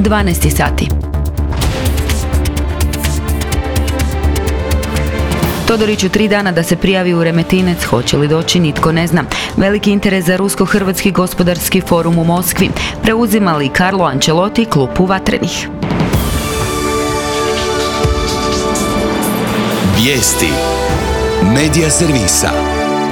12 sati. Todoriću 3 dana da se prijavi u Remetinec, hoće li doći nitko ne zna. Veliki interes za Rusko-hrvatski gospodarski forum u Moskvi. Preuzima li Carlo Ancelotti klupu Vatrenih? Vijesti Medija servisa.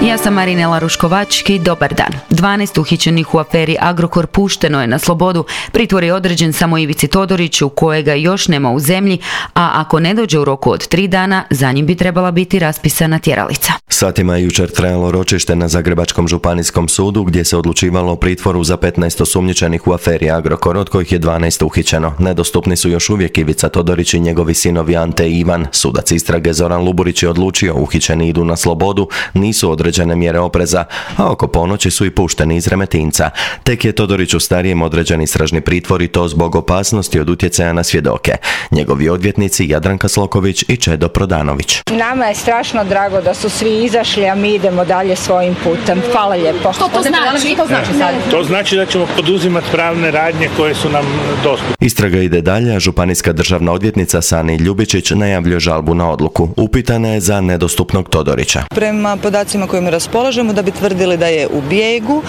Ja sam Marinela Ruškovački, dobar dan. 12 uhićenih u aferi Agrokor pušteno je na slobodu. Pritvor je određen samo Ivici Todoriću, kojega još nema u zemlji, a ako ne dođe u roku od 3 dana, za njim bi trebala biti raspisana tjeralica. Satima je jučer trajalo ročište na Zagrebačkom županijskom sudu, gdje se odlučivalo o pritvoru za 15 osumnjičenih u aferi Agrokor, od kojih je 12 uhićeno. Nedostupni su još uvijek Ivica Todorić i njegovi sinovi Ante i Ivan. Sudac istrage Zoran Luburić je odlučio, uhićeni idu na slobodu, nisu određene mjere opreza, a oko ponoći su i pušteni iz Remetinca. Tek je Todoriću starijem određen istražni pritvor i to zbog opasnosti od utjecaja na svjedoke. Njegovi odvjetnici Jadranka Sloković i Čedo Prodanović. Nama je strašno drago da su svi izašli, a mi idemo dalje svojim putem. Hvala lijepo. Što to znači? To znači da ćemo poduzimati pravne radnje koje su nam dostupne. Istraga ide dalje, a županijska državna odvjetnica Sani Ljubičić najavljuje žalbu na odluku. Upitana je za nedostupnog Todorića. Prema podacima kojima raspolažemo, da bi tvrdili da je u bijegu,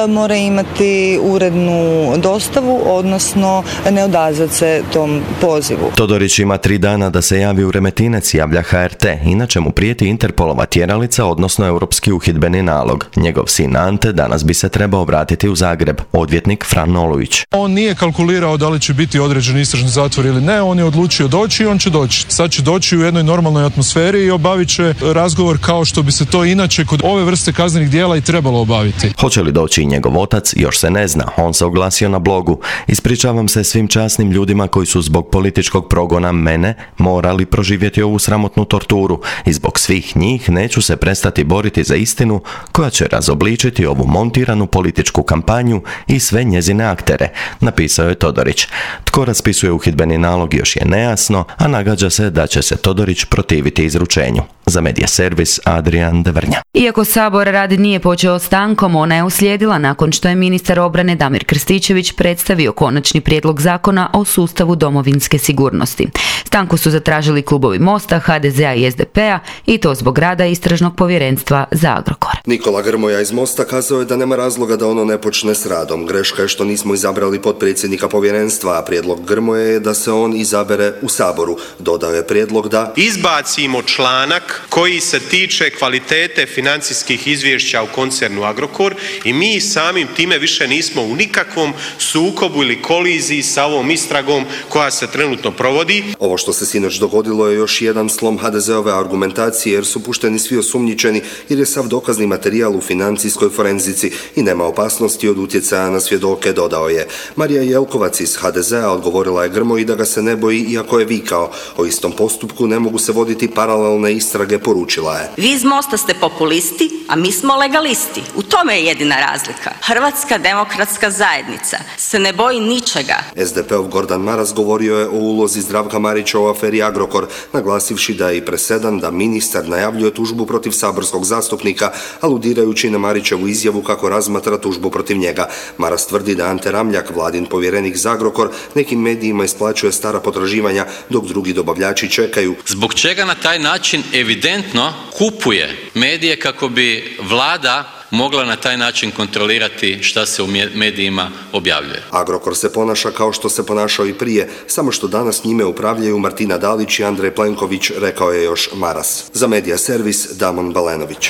mora imati urednu dostavu, odnosno ne odazvati se tom pozivu. Todorić ima 3 dana da se javi u Remetinec, javlja HRT, inače mu prijeti Interpolova tjeralica, odnosno europski uhidbeni nalog. Njegov sin Ante danas bi se trebao vratiti u Zagreb, odvjetnik Fran Olujić. On nije kalkulirao da li će biti određen istražni zatvor ili ne, on je odlučio doći i on će doći. Sad će doći u jednoj normalnoj atmosferi i obavit će razgovor kao što bi se to inače kod ove vrste kaznenih djela i trebalo obaviti. Hoće li doći i njegov otac, još se ne zna. On se oglasio na blogu. Ispričavam se svim časnim ljudima koji su zbog političkog progona mene morali proživjeti ovu sramotnu torturu i zbog svih njih neću se prestati boriti za istinu koja će razobličiti ovu montiranu političku kampanju i sve njezine aktere, napisao je Todorić. Tko raspisuje uhidbeni nalog još je nejasno, a nagađa se da će se Todorić protiviti izručenju. Za Medija servis Adrian Devrnja. Iako Sabor rad nije počeo stankom, ona je uslijedila nakon što je ministar obrane Damir Krstičević predstavio konačni prijedlog zakona o sustavu domovinske sigurnosti. Stanku su zatražili klubovi Mosta, HDZ-a i SDP-a i to zbog rada Istražnog povjerenstva za Agrokor. Nikola Grmoja iz Mosta kazao je da nema razloga da ono ne počne s radom. Greška je što nismo izabrali potpredsjednika povjerenstva, a prijedlog Grmoje je da se on izabere u Saboru. Dodao je prijedlog da izbacimo članak koji se tiče kvalitete financijskih izvješća u koncernu Agrokor i mi samim time više nismo u nikakvom sukobu ili koliziji sa ovom istragom koja se trenutno provodi. Ovo što se sinoć dogodilo je još jedan slom HDZ-ove argumentacije jer su pušteni svi osumnjičeni jer je sav dokazni materijal u financijskoj forenzici i nema opasnosti od utjecaja na svjedoke, dodao je. Marija Jelkovac iz HDZ-a odgovorila je Grmoji da ga se ne boji iako je vikao. O istom postupku ne mogu se voditi paralelne istrage, poručila je. Vi iz Mosta ste populisti, a mi smo legalisti. U tome je jedina razlika. Hrvatska demokratska zajednica se ne boji ničega. SDP-ov Gordan Maras govorio je o ulozi Zdravka Marića u aferi Agrokor, naglasivši da je i presedan da ministar najavljuje tužbu protiv saborskog zastupnika, aludirajući na Marićevu izjavu kako razmatra tužbu protiv njega. Maras tvrdi da Ante Ramljak, vladin povjerenik za Agrokor, nekim medijima isplaćuje stara potraživanja dok drugi dobavljači čekaju. Zbog čega na taj način evidentno kupuje medije kako bi vlada mogla na taj način kontrolirati šta se u medijima objavljuje. Agrokor se ponaša kao što se ponašao i prije, samo što danas njime upravljaju Martina Dalić i Andrej Plenković, rekao je još Maras. Za Medija servis Damon Balenović.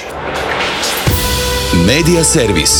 Medija servis.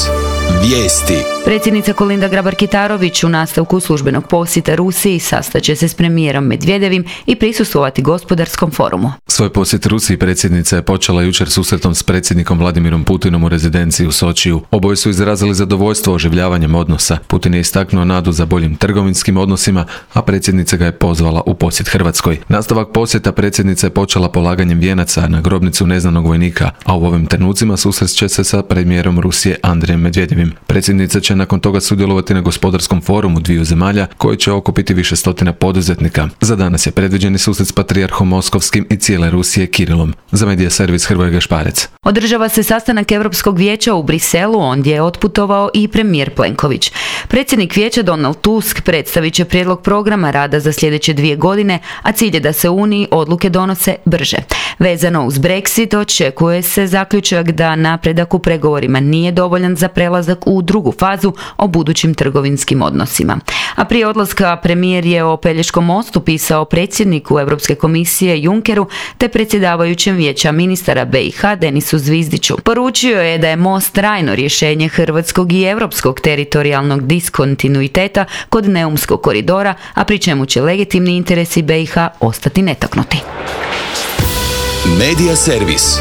Vijesti. Predsjednica Kolinda Grabar-Kitarović u nastavku službenog posjeta Rusiji sastaće se s premijerom Medvedevim i prisustvovati gospodarskom forumu. Svoj posjet Rusiji predsjednica je počela jučer susretom s predsjednikom Vladimirom Putinom u rezidenciji u Sočiju. Oboje su izrazili zadovoljstvo oživljavanjem odnosa. Putin je istaknuo nadu za boljim trgovinskim odnosima, a predsjednica ga je pozvala u posjet Hrvatskoj. Nastavak posjeta predsjednica je počela polaganjem vijenaca na grobnicu neznanog vojnika, a u ovim trenucima susrest će se sa premijerom Rusije Andrejem Medvedevim. Predsjednica će nakon toga sudjelovati na gospodarskom forumu dviju zemalja koji će okupiti više stotina poduzetnika. Za danas je predviđeni susret s patrijarhom Moskovskim i cijele Rusije Kirilom. Za Medija servis Hrvoje Gašparec. Održava se sastanak Europskog vijeća u Briselu, ondje je otputovao i premijer Plenković. Predsjednik vijeća Donald Tusk predstavit će prijedlog programa rada za sljedeće 2 godine, a cilj je da se Uniji odluke donose brže. Vezano uz Brexit očekuje se zaključak da napredak u pregovorima nije dovoljan za prelazak u drugu fazu o budućim trgovinskim odnosima. A prije odlaska premijer je o Pelješkom mostu pisao predsjedniku Europske komisije Junckeru te predsjedavajućem vijeća ministara BiH Denisu Zvizdiću. Poručio je da je most trajno rješenje hrvatskog i europskog teritorijalnog diskontinuiteta kod Neumskog koridora, a pri čemu će legitimni interesi BiH ostati netaknuti. Medija servis.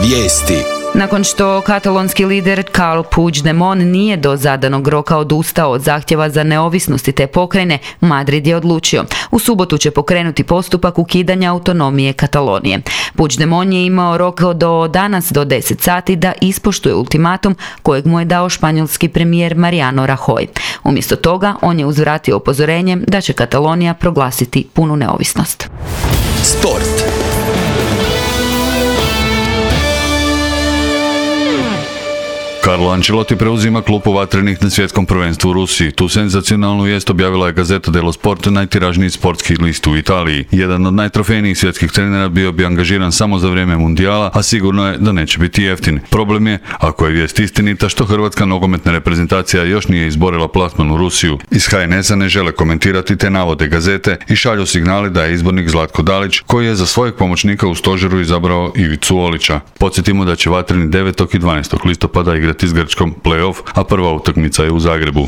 Vijesti. Nakon što katalonski lider Carles Puigdemont nije do zadanog roka odustao od zahtjeva za neovisnost te pokrajine, Madrid je odlučio. U subotu će pokrenuti postupak ukidanja autonomije Katalonije. Puigdemont je imao rok do danas do 10 sati da ispoštuje ultimatum kojeg mu je dao španjolski premijer Mariano Rajoy. Umjesto toga, on je uzvratio upozorenjem da će Katalonija proglasiti punu neovisnost. Sport. Carlo Ancelotti preuzima klupu vatrenih na svjetskom prvenstvu u Rusiji. Tu senzacionalnu vijest objavila je Gazzetta dello Sport, najtiražniji sportski list u Italiji. Jedan od najtrofejnijih svjetskih trenera bio bi angažiran samo za vrijeme mundijala, a sigurno je da neće biti jeftin. Problem je, ako je vijest istinita, što hrvatska nogometna reprezentacija još nije izborila plasman u Rusiju. Iz HNS-a ne žele komentirati te navode Gazete i šalju signali da je izbornik Zlatko Dalić, koji je za svojeg pomoćnika u stožeru izabrao Ivicu Olića. Podsjetimo da će vatreni 9. i 12. listopada igrati s Grčkom play-off, a prva utakmica je u Zagrebu.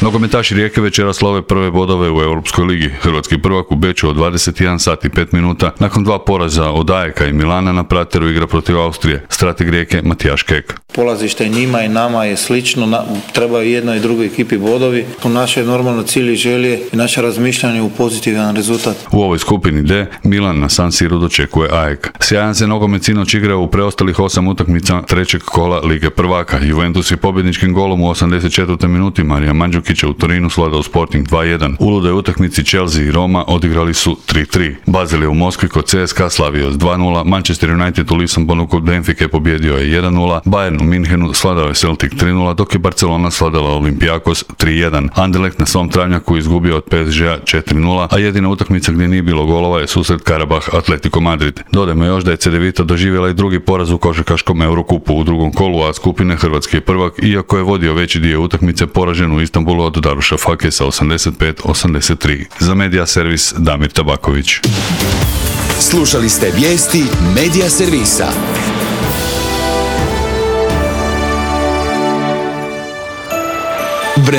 Nogometaši Rijeke večeras slave prve bodove u Europskoj ligi. Hrvatski prvak u Beču od 21 sat i 5 minuta nakon 2 poraza od Ajeka i Milana na Prateru igra protiv Austrije. Strateg Rijeke Matijaš Kek. Polazište njima i nama je slično, trebaju jednoj i drugoj ekipi bodovi. U naše normalno cilj i želje i naše razmišljanje u pozitivan rezultat. U ovoj skupini D Milan na San Siru dočekuje Ajek. Sjajan se nogomet sinoć igrao u preostalih 8 utakmica trećeg kola Lige prvaka. Juventus je pobjedničkim golom u 84. minuti Marija Mandžukića u Torinu svladao Sporting 2-1. U ludoj utakmici Chelsea i Roma odigrali su 3-3. Basel je u Moskvi kod CSKA slavio s 2-0, Manchester United u Lisabonu kod Benfike pobjedio je 1-0, Bayern u Minhenu svladao je Celtic 3-0, dok je Barcelona svladala Olympiakos 3-1. Anderlecht na svom travnjaku izgubio od PSG-a 4-0, a jedina utakmica gdje nije bilo golova je susret Karabah Atletico Madrid. Dodajmo još da je Cedevita doživjela i drugi poraz u košarkaškom Eurokupu u drugom kolu A skupine. Hrvatski je prvak, iako je vodio veći dio utakmice, poražen u Istanbulu od Daruša Fakesa 85-83. Za Medija servis Damir Tabaković. Slušali ste vijesti Medija servisa.